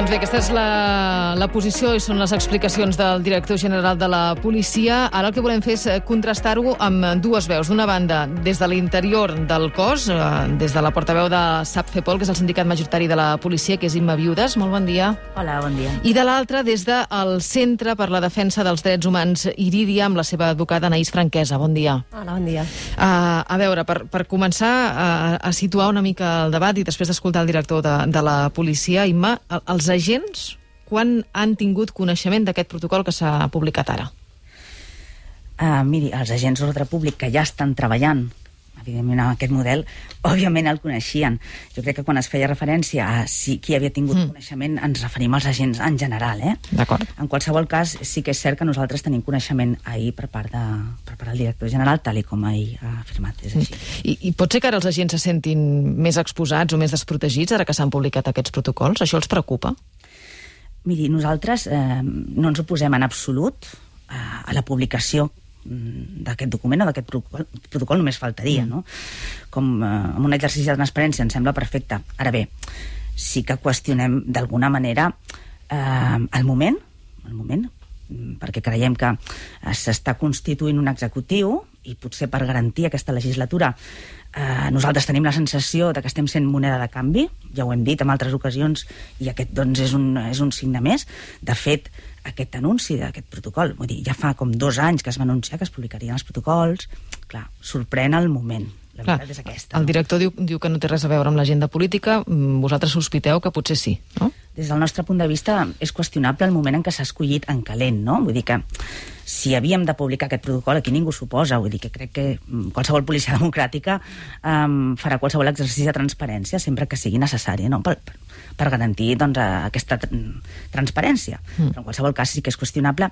Doncs bé, aquesta és la posició i són les explicacions del director general de la policia. Ara el que volem fer és contrastar-ho amb dues veus. D'una banda, des de l'interior del cos, des de la portaveu de SAPFEPOL, que és el sindicat majoritari de la policia, que és Imma Viudes. Molt bon dia. Hola, bon dia. I de l'altra, des del Centre per la Defensa dels Drets Humans Irídia, amb la seva advocada Anaïs Franquesa. Bon dia. Hola, bon dia. A veure, per començar a situar una mica el debat i després d'escoltar el director de la policia, Imma, els agents, quan han tingut coneixement d'aquest protocol que s'ha publicat ara? Miri, els agents d'ordre públic que ja estan treballant, evidentment, amb aquest model, òbviament el coneixien. Jo crec que quan es feia referència a qui havia tingut coneixement, ens referim als agents en general, D'acord. En qualsevol cas, sí que és cert que nosaltres tenim coneixement ahir per part del director general, tal com ahir ha afirmat, és així. I pot ser que ara els agents se sentin més exposats o més desprotegits ara que s'han publicat aquests protocols? Això els preocupa? Miri, nosaltres no ens oposem en absolut a la publicació d'aquest document o d'aquest protocol, només faltaria, no? Com en un exercici de transparència ens sembla perfecte. Ara bé, sí que qüestionem d'alguna manera el moment, perquè creiem que s'està constituint un executiu i potser per garantir aquesta legislatura nosaltres tenim la sensació de que estem sent moneda de canvi, ja ho hem dit en altres ocasions, i aquest doncs és un signe més. De fet, aquest anunci d'aquest protocol, vull dir, ja fa com 2 anys que es va anunciar que es publicarien els protocols, clar, sorprèn el moment. La veritat és aquesta. El director diu que no té res a veure amb l'agenda política, vosaltres sospiteu que potser sí, no? Des del nostre punt de vista és qüestionable el moment en què s'ha escollit en calent, no? Vull dir que si havíem de publicar aquest protocol, aquí ningú s'oposa, vull dir que crec que qualsevol policia democràtica farà qualsevol exercici de transparència sempre que sigui necessari, no? Per garantir doncs, aquesta transparència. Però en qualsevol cas sí que és qüestionable.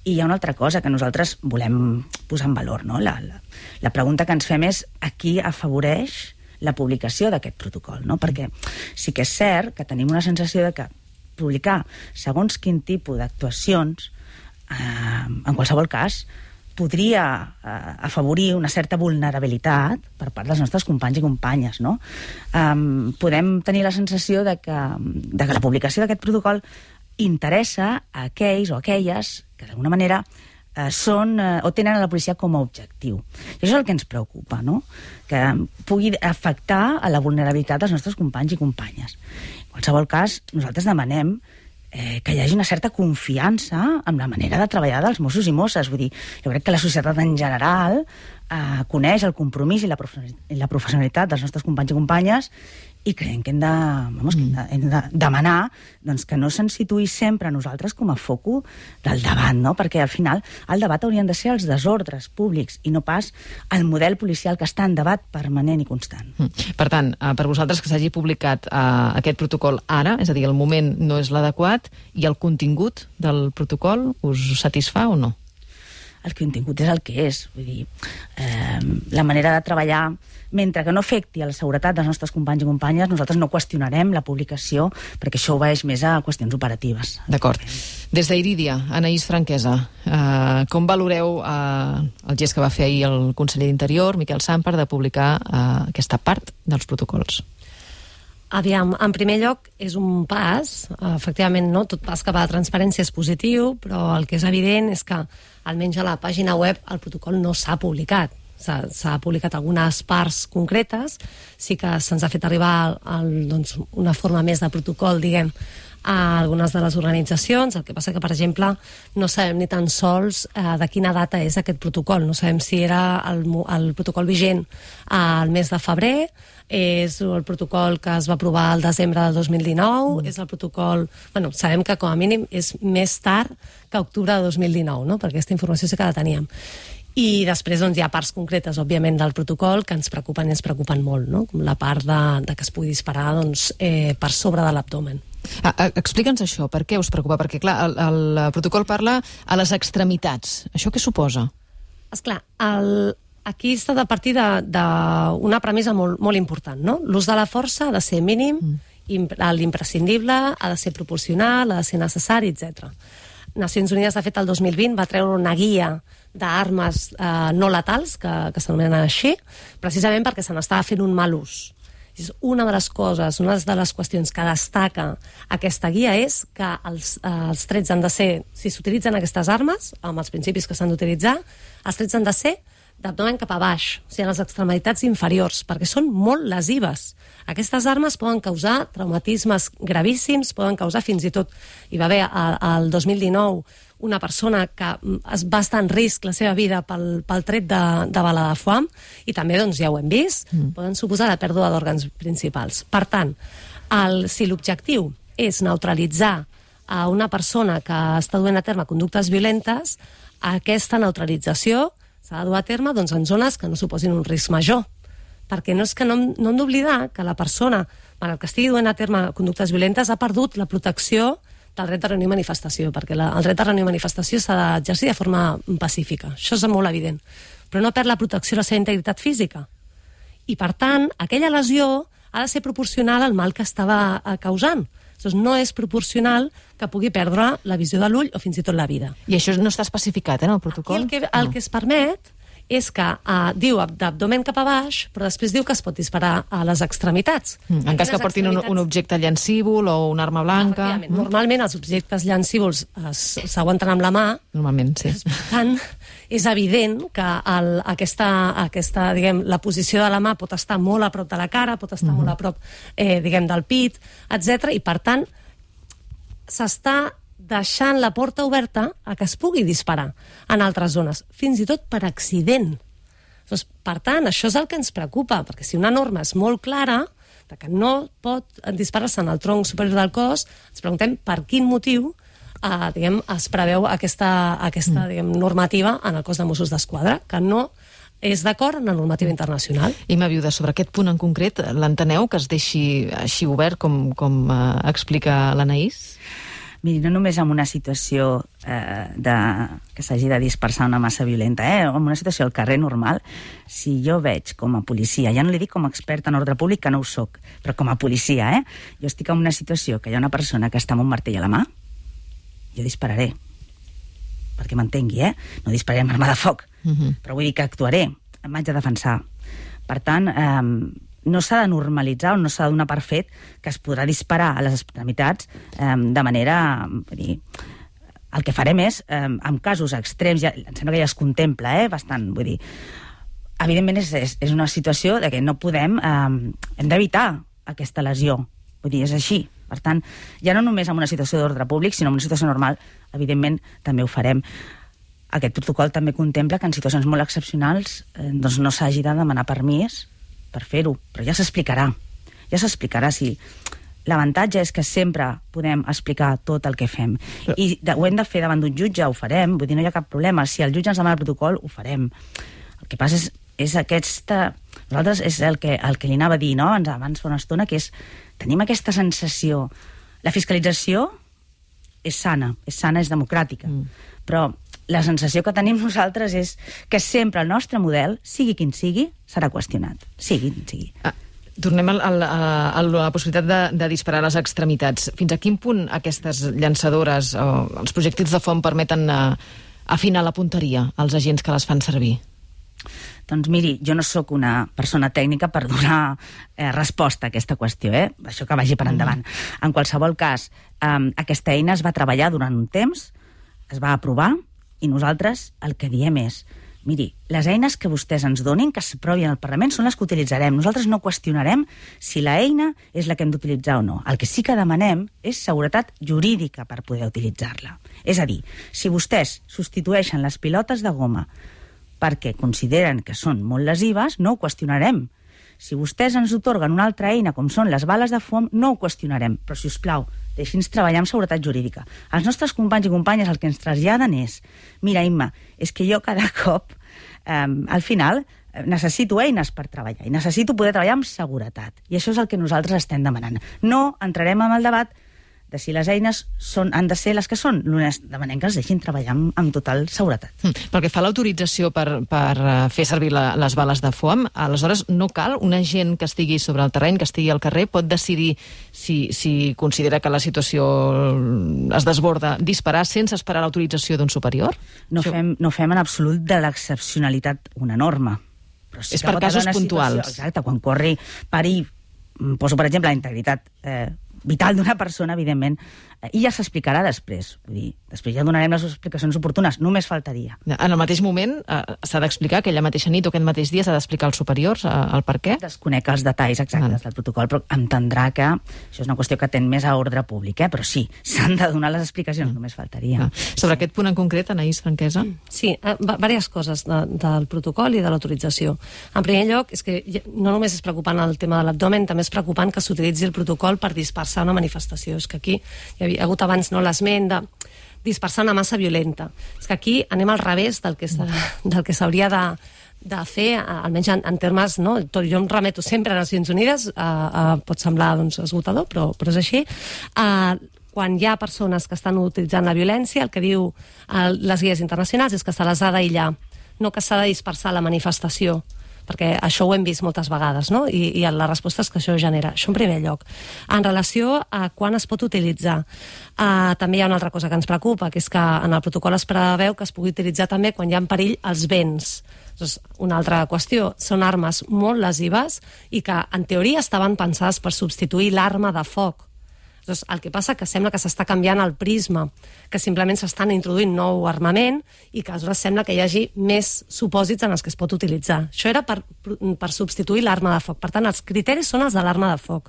I hi ha una altra cosa que nosaltres volem posar en valor, no? La pregunta que ens fem és a qui afavoreix la publicació d'aquest protocol, no? Perquè sí que és cert que tenim una sensació de que publicar segons quin tipus d'actuacions en qualsevol cas podria afavorir una certa vulnerabilitat per part dels nostres companys i companyes, no? Podem tenir la sensació de que la publicació d'aquest protocol interessa a aquells o aquelles que d'alguna manera són o tenen a la policia com a objectiu. I això és el que ens preocupa, no? Que pugui afectar a la vulnerabilitat dels nostres companys i companyes. En qualsevol cas, nosaltres demanem que hi hagi una certa confiança en la manera de treballar dels Mossos i Mosses. Vull dir, jo crec que la societat en general coneix el compromís i la professionalitat dels nostres companys i companyes i creiem que hem de demanar doncs, que no se'ns situï sempre a nosaltres com a foco del debat, no? Perquè al final el debat haurien de ser els desordres públics i no pas el model policial que està en debat permanent i constant. Per tant, per vosaltres que s'hagi publicat aquest protocol ara, és a dir, el moment no és l'adequat, i el contingut del protocol us satisfà o no? El contingut és el que és. Vull dir, la manera de treballar, mentre que no afecti a la seguretat dels nostres companys i companyes, nosaltres no qüestionarem la publicació, perquè això obeeix més a qüestions operatives. D'acord. Des d'Irídia, Anaïs Franquesa, com valoreu el gest que va fer ahir el conseller d'Interior, Miquel Sàmper, de publicar aquesta part dels protocols? Aviam, en primer lloc, és un pas, efectivament, no? Tot pas cap a la transparència és positiu, però el que és evident és que, almenys a la pàgina web, el protocol no s'ha publicat. S'ha publicat algunes parts concretes, sí que se'ns ha fet arribar doncs, una forma més de protocol, diguem, a algunes de les organitzacions. El que passa que, per exemple, no sabem ni tan sols de quina data és aquest protocol. No sabem si era el protocol vigent al mes de febrer, és el protocol que es va aprovar al desembre del 2019, és el protocol... Bueno, sabem que com a mínim és més tard que octubre de 2019, no? Perquè aquesta informació sí que la teníem. I després doncs, hi ha parts concretes, òbviament, del protocol que ens preocupen i ens preocupen molt, no? Com la part de que es pugui disparar doncs, per sobre de l'abdomen. Explica'ns això, per què us preocupa? Perquè, clar, el protocol parla a les extremitats. Això què suposa? Esclar, aquí s'ha de partir d'una premissa molt, molt important, no? L'ús de la força ha de ser mínim, l'imprescindible, ha de ser proporcional, ha de ser necessari, etc. Nacions Unides, de fet, el 2020 va treure una guia d'armes no letals, que s'anomenen així, precisament perquè se n'estava fent un mal ús. Una de les coses, una de les qüestions que destaca aquesta guia és que els trets han de ser, si s'utilitzen aquestes armes, amb els principis que s'han d'utilitzar, els trets han de ser d'abdomen cap a baix, o sigui, a les extremitats inferiors, perquè són molt lesives. Aquestes armes poden causar traumatismes gravíssims, poden causar fins i tot... Hi va haver el 2019 una persona que va estar en risc la seva vida pel tret de bala de foam, i també, doncs, ja ho hem vist, poden suposar la pèrdua d'òrgans principals. Per tant, si l'objectiu és neutralitzar a una persona que està duent a terme conductes violentes, aquesta neutralització s'ha de dur a terme en zones que no suposin un risc major. Perquè no hem d'oblidar que la persona, malgrat que estigui duent a terme conductes violentes, ha perdut la protecció del dret de reunió i manifestació, perquè el dret de reunió i manifestació s'ha d'exercir de forma pacífica. Això és molt evident. Però no perd la protecció de la seva integritat física. I, per tant, aquella lesió ha de ser proporcional al mal que estava causant. Doncs no és proporcional que pugui perdre la visió de l'ull o fins i tot la vida. I això no està especificat en el protocol? Aquí el que es permet és que diu d'abdomen cap a baix, però després diu que es pot disparar a les extremitats. En cas que portin un objecte llancívol o una arma blanca... Normalment els objectes llancívols s'aguanten amb la mà. Normalment, sí. Per tant, és evident que aquesta, diguem, la posició de la mà pot estar molt a prop de la cara, pot estar molt a prop, diguem, del pit, etc. I, per tant, s'està deixant la porta oberta a que es pugui disparar en altres zones, fins i tot per accident. Doncs, per tant, això és el que ens preocupa, perquè si una norma és molt clara, que no pot disparar-se en el tronc superior del cos, ens preguntem per quin motiu es preveu aquesta normativa en el cos de Mossos d'Esquadra, que no és d'acord amb la normativa internacional. Imma Viuda, sobre aquest punt en concret, l'enteneu que es deixi així obert com explica l'Anaïs? Miri, no només en una situació que s'hagi de dispersar una massa violenta, en una situació al carrer normal, si jo veig com a policia, ja no li dic com a experta en ordre públic, que no ho soc, però com a policia, jo estic en una situació que hi ha una persona que està amb un martell a la mà, jo dispararé, perquè m'entengui, no dispararé amb arma de foc, però vull dir que actuaré, em vaig a defensar. Per tant, no s'ha de normalitzar o no s'ha de donar per fet que es podrà disparar a les extremitats de manera... El que farem és, en casos extrems, em sembla que ja es contempla bastant, vull dir, evidentment és una situació de que no podem, hem d'evitar aquesta lesió, vull dir, és així. Per tant, ja no només en una situació d'ordre públic, sinó en una situació normal, evidentment, també ho farem. Aquest protocol també contempla que en situacions molt excepcionals doncs no s'hagi de demanar permís per fer-ho, però ja s'explicarà si... L'avantatge és que sempre podem explicar tot el que fem. I ho hem de fer davant d'un jutge, ho farem, vull dir, no hi ha cap problema. Si el jutge ens demana el protocol, ho farem. El que passa és aquesta... Nosaltres és el que li anava a dir, no?, abans fa una estona, que és... Tenim aquesta sensació... La fiscalització és sana, és democràtica, però la sensació que tenim nosaltres és que sempre el nostre model, sigui quin sigui, serà qüestionat. Sigui quin sigui. Tornem a la possibilitat de disparar a les extremitats. Fins a quin punt aquestes llançadores o els projectils de foam permeten afinar la punteria als agents que les fan servir? Doncs miri, jo no sóc una persona tècnica per donar resposta a aquesta qüestió, això que vagi per endavant. En qualsevol cas, aquesta eina es va treballar durant un temps, es va aprovar, i nosaltres el que diem és, miri, les eines que vostès ens donin, que s'aprovin al Parlament, són les que utilitzarem. Nosaltres no qüestionarem si la eina és la que hem d'utilitzar o no. El que sí que demanem és seguretat jurídica per poder utilitzar-la. És a dir, si vostès substitueixen les pilotes de goma perquè consideren que són molt lesives, no ho qüestionarem. Si vostès ens otorguen una altra eina, com són les bales de foam, no ho qüestionarem. Però, si us plau, deixi'ns treballar amb seguretat jurídica. Els nostres companys i companyes el que ens traslladen és, mira, Imma, és que jo cada cop, al final, necessito eines per treballar i necessito poder treballar amb seguretat. I això és el que nosaltres estem demanant. No entrarem en el debat de si les eines han de ser les que són. Només demanem que els deixin treballar amb total seguretat. Pel que fa a l'autorització per fer servir les bales de foam, aleshores no cal un agent que estigui sobre el terreny, que estigui al carrer, pot decidir si considera que la situació es desborda, disparar sense esperar l'autorització d'un superior? No fem en absolut de l'excepcionalitat una norma. És per casos puntuals. Exacte, quan corri, pari poso, per exemple, la integritat vital d'una persona, evidentment, i ja s'explicarà després. Vull dir, després ja donarem les explicacions oportunes, només faltaria. En el mateix moment s'ha d'explicar, aquella mateixa nit o aquest mateix dia s'ha d'explicar als superiors el per què? Desconec els detalls exactes del protocol, però entendrà que això és una qüestió que atén més a ordre públic, però sí, s'han de donar les explicacions, només faltaria. Sobre aquest punt en concret, Anaïs Franquesa? Sí, diverses coses del protocol i de l'autorització. En primer lloc, és que no només és preocupant el tema de l'abdomen, també és preocupant que s'utilitzi el protocol per dispersar una manifestació. És que aquí hi havia hagut abans l'esment de dispersar una massa violenta. És que aquí anem al revés del que s'hauria de fer, almenys en termes, no? Jo em remeto sempre a Nacions Unides, pot semblar esgotador, però és així. Quan hi ha persones que estan utilitzant la violència, el que diu les guies internacionals és que se les ha d'aïllar, no que s'ha de dispersar la manifestació, perquè això ho hem vist moltes vegades, no? I la resposta és que això genera. Això en primer lloc. En relació a quan es pot utilitzar, també hi ha una altra cosa que ens preocupa, que és que en el protocol es preveu que es pugui utilitzar també quan hi ha en perill els béns. Una altra qüestió, són armes molt lesives i que en teoria estaven pensades per substituir l'arma de foc. El que passa que sembla que s'està canviant el prisma, que simplement s'estan introduint nou armament i que aleshores sembla que hi hagi més supòsits en els que es pot utilitzar. Això era per substituir l'arma de foc. Per tant, els criteris són els de l'arma de foc.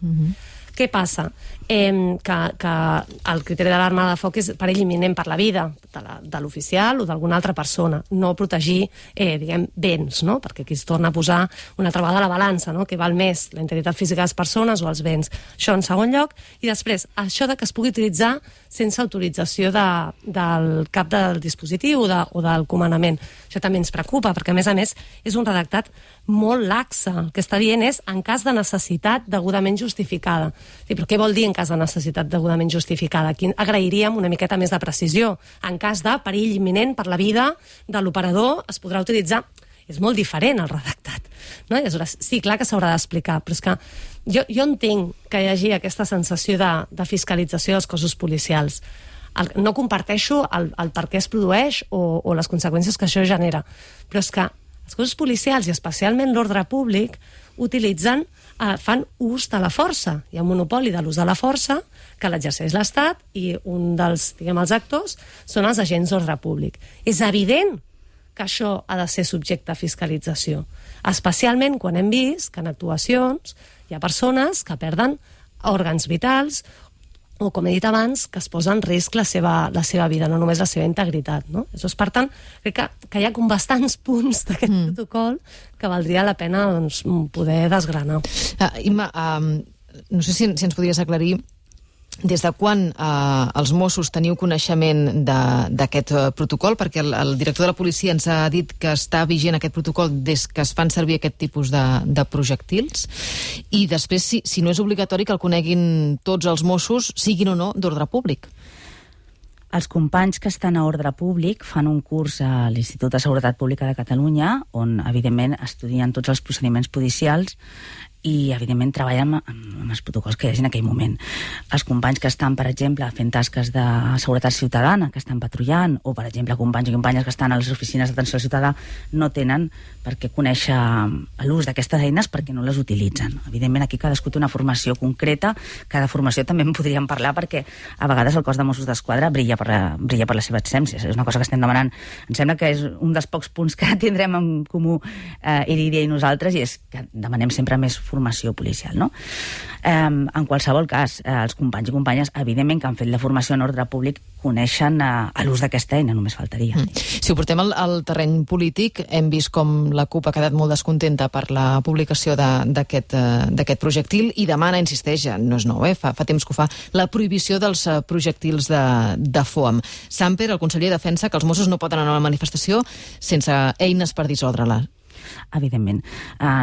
Què passa? Que el criteri de l'arma de foc és perill imminent per la vida de l'oficial o d'alguna altra persona, no protegir, diguem, béns, no? Perquè aquí es torna a posar una altra vegada la balança, no? Què val més, la integritat física de les persones o els béns? Això en segon lloc. I després, això de que es pugui utilitzar sense autorització del cap del dispositiu o del comandament. Això també ens preocupa, perquè a més, és un redactat molt laxe. El que està dient és en cas de necessitat degudament justificada. Sí, però què vol dir en cas de necessitat degudament justificada? Aquí agrairíem una miqueta més de precisió. En cas de perill imminent per la vida de l'operador es podrà utilitzar. És molt diferent el redactat. No? Sí, clar que s'haurà d'explicar, però és que jo entenc que hi hagi aquesta sensació de fiscalització dels cossos policials. No comparteixo el per què es produeix o les conseqüències que això genera, però és que els cossos policials, i especialment l'ordre públic, fan ús de la força. Hi ha un monopoli de l'ús de la força que l'exerceix l'Estat i un dels, els actors són els agents d'ordre públic. És evident que això ha de ser subjecte a fiscalització, especialment quan hem vist que en actuacions hi ha persones que perden òrgans vitals o, com he dit abans, que es posa en risc la seva vida, no només la seva integritat. No? Per tant, crec que hi ha com bastants punts d'aquest protocol que valdria la pena poder desgranar. Imma, no sé si ens podries aclarir des de quan els Mossos teniu coneixement d'aquest protocol, perquè el director de la policia ens ha dit que està vigent aquest protocol des que es fan servir aquest tipus de projectils, i després si no és obligatori que el coneguin tots els Mossos, siguin o no d'ordre públic. Els companys que estan a ordre públic fan un curs a l'Institut de Seguretat Pública de Catalunya, on, evidentment, estudien tots els procediments policials i, evidentment, treballen amb els protocols que hi hagi en aquell moment. Els companys que estan, per exemple, fent tasques de seguretat ciutadana, que estan patrullant, o, per exemple, companys i companyes que estan a les oficines d'atenció al ciutadà, no tenen per què conèixer l'ús d'aquestes eines perquè no les utilitzen. Evidentment, aquí cadascú té una formació concreta. Cada formació també en podríem parlar perquè a vegades el cos de Mossos d'Esquadra brilla per la seva absència. És una cosa que estem demanant. Em sembla que és un dels pocs punts que tindrem en comú Irídia i nosaltres, i és que demanem sempre més formació policial, no? En qualsevol cas, els companys i companyes, evidentment, que han fet la formació en ordre públic, coneixen l'ús d'aquesta eina, només faltaria. Si ho portem al terreny polític, hem vist com la CUP ha quedat molt descontenta per la publicació d'aquest projectil i demana, insisteix, no és nou, fa temps que ho fa, la prohibició dels projectils de foam. Samper, el conseller, defensa que els Mossos no poden anar a una manifestació sense eines per dissoldre-la. Evidentment.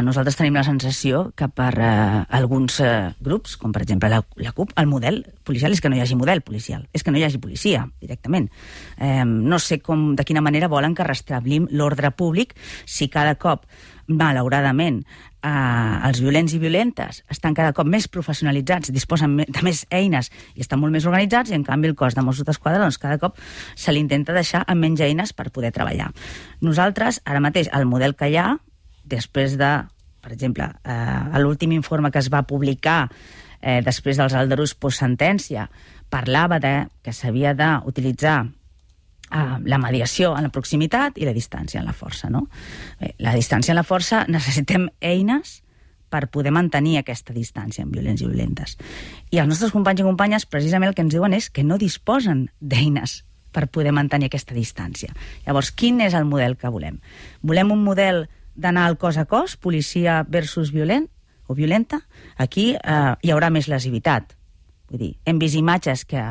Nosaltres tenim la sensació que per alguns grups, com per exemple la CUP, el model policial és que no hi hagi model policial, és que no hi hagi policia, directament. No sé de quina manera volen que restablim l'ordre públic si cada cop, malauradament, els violents i violentes estan cada cop més professionalitzats, disposen de més eines i estan molt més organitzats, i en canvi el cos de Mossos d'Esquadra doncs cada cop se li intenta deixar amb menys eines per poder treballar. Nosaltres, ara mateix, el model que hi ha, després de per exemple, l'últim informe que es va publicar després dels aldarulls postsentència parlava que s'havia d'utilitzar la mediació en la proximitat i la distància en la força, no? Bé, la distància en la força necessitem eines per poder mantenir aquesta distància amb violents i violentes. I els nostres companys i companyes precisament el que ens diuen és que no disposen d'eines per poder mantenir aquesta distància. Llavors, quin és el model que volem? Volem un model d'anar al cos a cos, policia versus violent o violenta? Aquí hi haurà més lesivitat. Vull dir, hem vist imatges que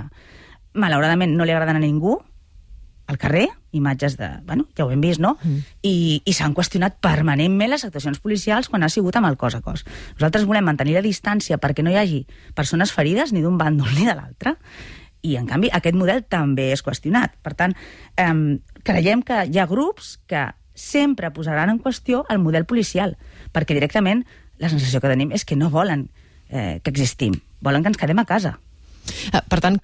malauradament no li agraden a ningú al carrer, imatges de... Bueno, ja ho hem vist, no? I s'han qüestionat permanentment les actuacions policials quan ha sigut amb el cos a cos. Nosaltres volem mantenir la distància perquè no hi hagi persones ferides ni d'un bàndol ni de l'altre, i en canvi aquest model també és qüestionat. Per tant, creiem que hi ha grups que sempre posaran en qüestió el model policial, perquè directament la sensació que tenim és que no volen que existim, volen que ens quedem a casa. Per tant,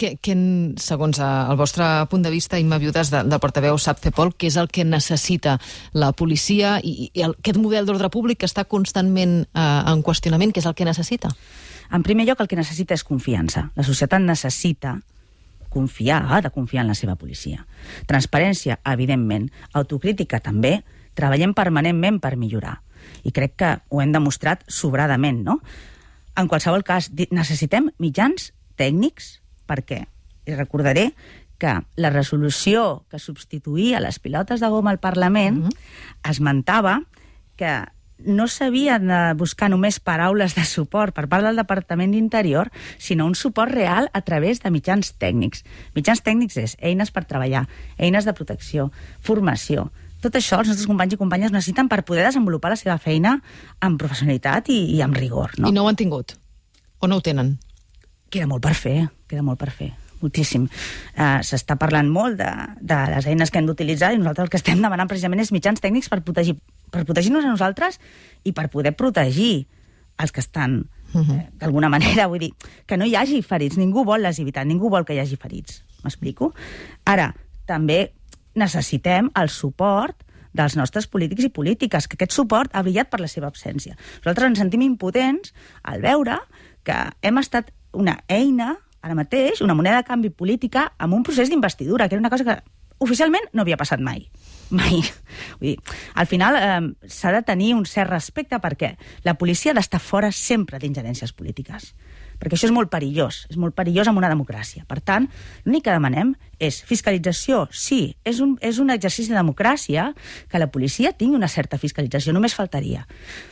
segons el vostre punt de vista, Imma Viudes, del portaveu SAP CEPOL, què és el que necessita la policia i aquest model d'ordre públic que està constantment en qüestionament, què és el que necessita? En primer lloc, el que necessita és confiança. La societat necessita confiar, ha de confiar en la seva policia. Transparència, evidentment. Autocrítica, també. Treballem permanentment per millorar. I crec que ho hem demostrat sobradament, no? En qualsevol cas, necessitem mitjans tècnics, perquè recordaré que la resolució que substituïa les pilotes de goma al Parlament esmentava que no s'havien de buscar només paraules de suport per part del Departament d'Interior, sinó un suport real a través de mitjans tècnics. Mitjans tècnics és eines per treballar, eines de protecció, formació. Tot això els nostres companys i companyes necessiten per poder desenvolupar la seva feina amb professionalitat i amb rigor. No? I no ho han tingut? O no ho tenen? Queda molt per fer, moltíssim. S'està parlant molt de les eines que hem d'utilitzar i nosaltres el que estem demanant precisament és mitjans tècnics per protegir-nos a nosaltres i per poder protegir els que estan d'alguna manera, vull dir, que no hi hagi ferits, ningú vol lesivitat, ningú vol que hi hagi ferits, m'explico? Ara, també necessitem el suport dels nostres polítics i polítiques, que aquest suport ha brillat per la seva absència. Nosaltres ens sentim impotents al veure que hem estat una eina, ara mateix, una moneda de canvi política amb un procés d'investidura, que era una cosa que oficialment no havia passat mai. Mai. Vull dir, al final s'ha de tenir un cert respecte perquè la policia ha d'estar fora sempre d'ingerències polítiques. Perquè això és molt perillós en una democràcia. Per tant, l'únic que demanem és fiscalització. Sí, és un exercici de democràcia que la policia tingui una certa fiscalització, només faltaria.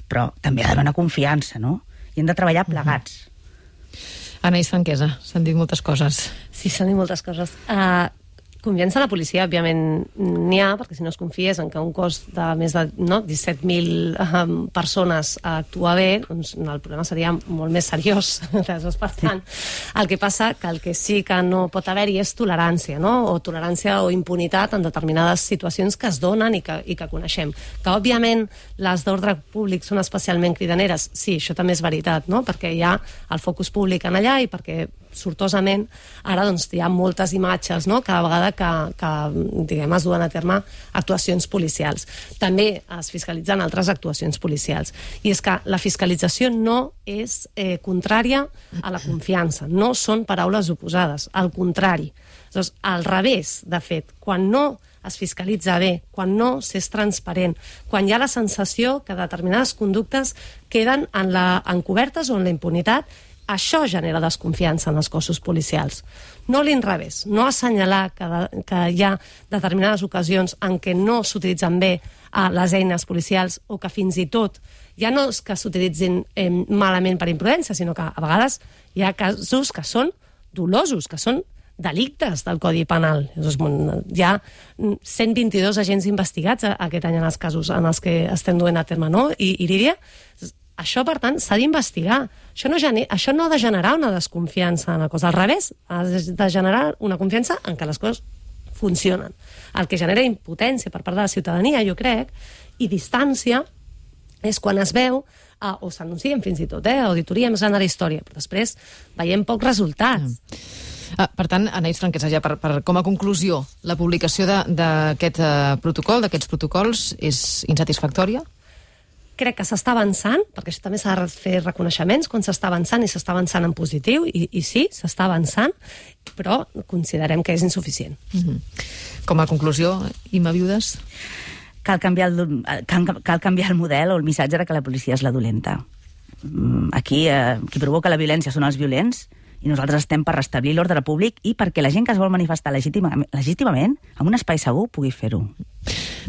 Però també ha d'haver una confiança, no? I hem de treballar plegats. Anaïs Franquesa, s'han dit moltes coses. Sí, s'han dit moltes coses. Confiança en la policia, òbviament, n'hi ha, perquè si no es confiés en que un cos de més de 17.000 persones actua bé, doncs el problema seria molt més seriós. Per tant, el que passa que el que sí que no pot haver-hi és tolerància, no? O tolerància o impunitat en determinades situacions que es donen i que coneixem. Que, òbviament, les d'ordre públic són especialment cridaneres. Sí, això també és veritat, no? Perquè hi ha el focus públic en allà i perquè sortosament ara doncs, hi ha moltes imatges, no? Cada vegada que diguem, es duen a terme actuacions policials. També es fiscalitzen altres actuacions policials. I és que la fiscalització no és contrària a la confiança, no són paraules oposades, al contrari. Doncs, al revés, de fet, quan no es fiscalitza bé, quan no s'és transparent, quan hi ha la sensació que determinades conductes queden encobertes o en la impunitat, això genera desconfiança en els cossos policials. No l'inrevés, no assenyalar que hi ha determinades ocasions en què no s'utilitzen bé les eines policials o que fins i tot ja no és que s'utilitzin malament per imprudència, sinó que a vegades hi ha casos que són dolosos, que són delictes del Codi Penal. Hi ha 122 agents investigats aquest any en els casos en els que estem duent a terme, no? I Irídia, això, per tant, s'ha d'investigar. Això no ha de generar una desconfiança en la cosa. Al revés, ha de generar una confiança en què les coses funcionen. El que genera impotència per part de la ciutadania, jo crec, i distància, és quan es veu, o s'anuncien fins i tot, auditoria més gran de la història, però després veiem pocs resultats. Per tant, Anaïs Franquesa, ja com a conclusió, la publicació d'aquest protocol, d'aquests protocols, és insatisfactòria? crec que s'està avançant, perquè això també s'ha de fer reconeixements quan s'està avançant, i s'està avançant en positiu, i sí, s'està avançant, però considerem que és insuficient. Com a conclusió, Imma Viudes? Cal canviar el model o el missatge de que la policia és la dolenta. Aquí qui provoca la violència són els violents, i nosaltres estem per restablir l'ordre públic i perquè la gent que es vol manifestar legítimament en un espai segur pugui fer-ho.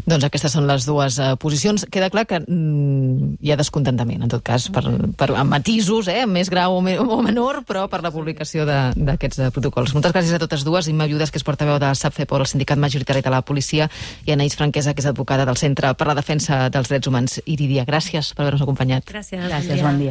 Doncs aquestes són les dues posicions. Queda clar que hi ha descontentament, en tot cas, amb matisos, amb més grau o menor, però per la publicació d'aquests protocols. Moltes gràcies a totes dues. Imma Viudes, que és portaveu de SAPFEPOL, el sindicat majoritari de la policia, i Anaïs Franquesa, que és advocada del Centre per la Defensa dels Drets Humans, Iridia. Gràcies per haver-nos acompanyat. Gràcies, bon dia.